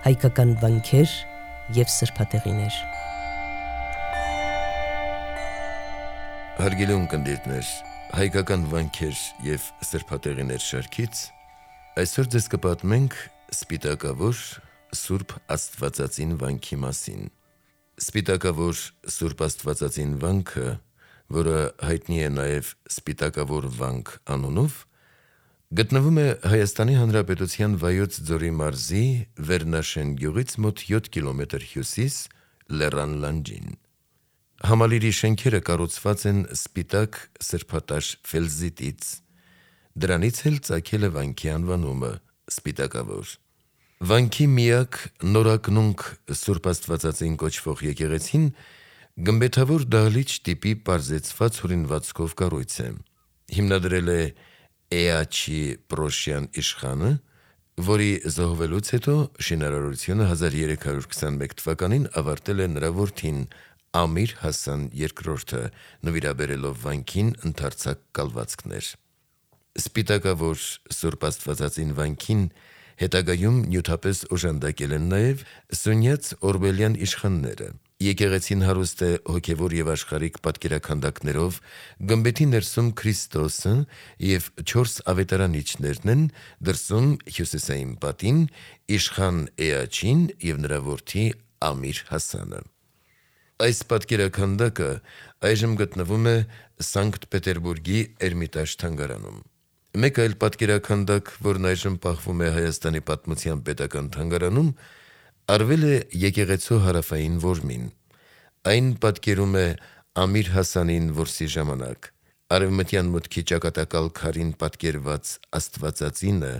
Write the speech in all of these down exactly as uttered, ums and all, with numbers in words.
հայկական վանքեր և սրբատեղիներ։ Հարգելի ունկնդիրներ, հայկական վանքեր և սրբատեղիներ շարքից այսօր ձեզ կպատմենք Սպիտակավոր Սուրբ Աստվածածին վանքի մասին։ Սպիտակավոր Սուրբ Աստվածածին վանքը, որը հայտնի է նաև Սպիտակավոր վանք անունով, գտնվում է Հայաստանի Հանրապետության Վայոց ձորի մարզի Վերնաշեն գյուղից մոտ յոթ կիլոմետր հյուսիս Լեռան լանջին։ Համալիրի շենքերը կառուցված են սպիտակ սրբատաշ ֆելզիտից, դրանից էլ ծագել է վանքի անվանումը Սպիտակավոր։ Վանքի միակ նորակնունկ Սուրբ Աստվածածին կոչվող եկեղեցին գմբեթավոր դահլիճ տիպի պարզեցված հորինվածքով կառույց է։ Հիմնադրել է Էաչի Պրոշյան իշխանը, որի զոհվելուց հետո շինարարությունը հազար երեք հարյուր քսանմեկ թվականին ավարտել է նրա որդին Ամիր Հասան երկրորդը, նվիրաբերելով վանքին ընդարձակ կալվածքներ։ Սպիտակավոր Սուրբ Աստվածածին վանքին հետագայում նյութապես օժանդակել են նաև Սունյաց Օրբելյան իշխանները։ Եկեղեցին հարուստ է հոգևոր և աշխարհիկ պատկերաքանդակներով, գմբեթի ներսում Քրիստոսը և չորս ավետարանիչներն են, դրսում հյուսիսային պատին իշխան Էաչին և նրա որդի Ամիր Հասանը։ Այս պատկերաքանդակը այժմ գտնվում է Սանկտ Պետերբուրգի Էրմիտաժ թանգարանում։ Մեկ այլ պատկերաքանդակ, որն այժմ պահվում է Հայաստանի պատմության պետական թանգարանում, արվել է եկեղեցու հարավային որմին։ Այն պատկերում է Ամիր Հասանին որսի ժամանակ։ Արևմտյան մուտքի ճակատակալ քարին պատկերված Աստվածածինը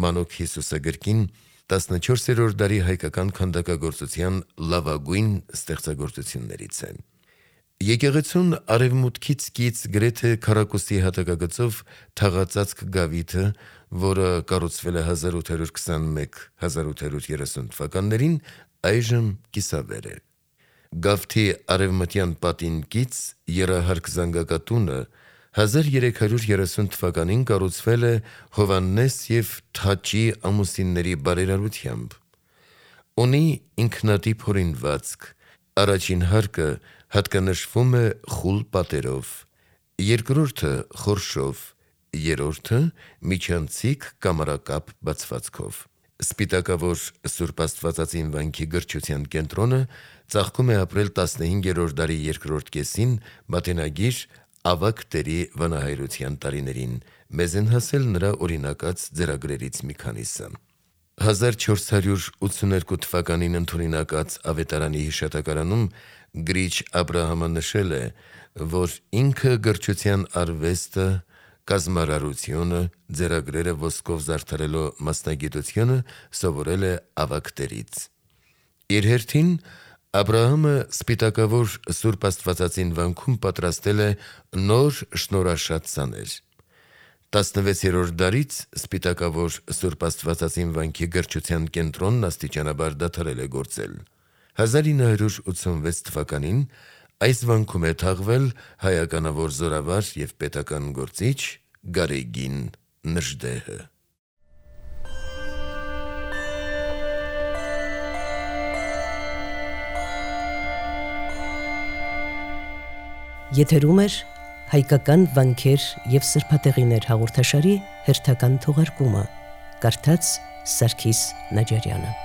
Մանուկ Հիսուսագրքին տասնչորսերորդ դարի հայկական քանդակագործության լավագույն ստեղծագործություններից է։ Եկեղեցուն արևմուտքից կից գրեթե քառակուսի հատակագծով թաղածածկ գավիթը, որը կառուցվել է հազար ութ հարյուր քսանմեկ - հազար ութ հարյուր երեսուն թվականներին, այժմ կիսավեր է։ Գավթի արևմտյան պատին կից եռահարկ զանգակատունը հազար երեք հարյուր երեսուն թվականին կառուցվել է Հովհաննես և Թաճի ամուսինների բարերարությամբ։ Ունի ինքնատիպ հորինվածք, առաջին հարկը հատկանշվում է խուլ պատերով, երկրորդը խորշով, երրորդը միջանցիկ կամարակապ բացվածքով։ Սպիտակավոր Սուրբ Աստվածածին վանքի գրչության կենտրոնը ծաղկում է ապրել տասնհինգերորդ դարի երկրորդ կեսին մատենագիր Ավագ տերի վանահայրության տարիներին, մեզ են հասել նրա օրինակած ձեռագրերից մի քանիսը։ հազար չորս հարյուր ութսուներկու թվականին ընդօրինակած ավետարանի հիշատակարանում գրիչ Աբրահամը նշել է, որ ինքը գրչության արվեստը, կազմարարությունը, ձեռագրերը ոսկով զարդարելու մասնագիտությունը սովորել է Ավագ տերից։ Իր հերթին Աբրահամը Սպիտակավոր Սուրբ Աստվածածին վանքում պատրաստել է նոր շնորհաշատ սաներ։ տասնվեցերորդ դարից Սպիտակավոր Սուրբ Աստվածածին վանքի գրչության կենտրոնն աստիճանաբար դադարել է գործել։ հազար ինը հարյուր ութսունվեց թվականին այս վանքում է թաղվել հայականավոր զորավար և պետական գործիչ Գարեգին Նժդեհը։ Եթերում էր հայկական վանքեր և սրբատեղիներ հաղորդաշարի հերթական թողարկումը, կարդաց Սարգիս Նաջարյանը։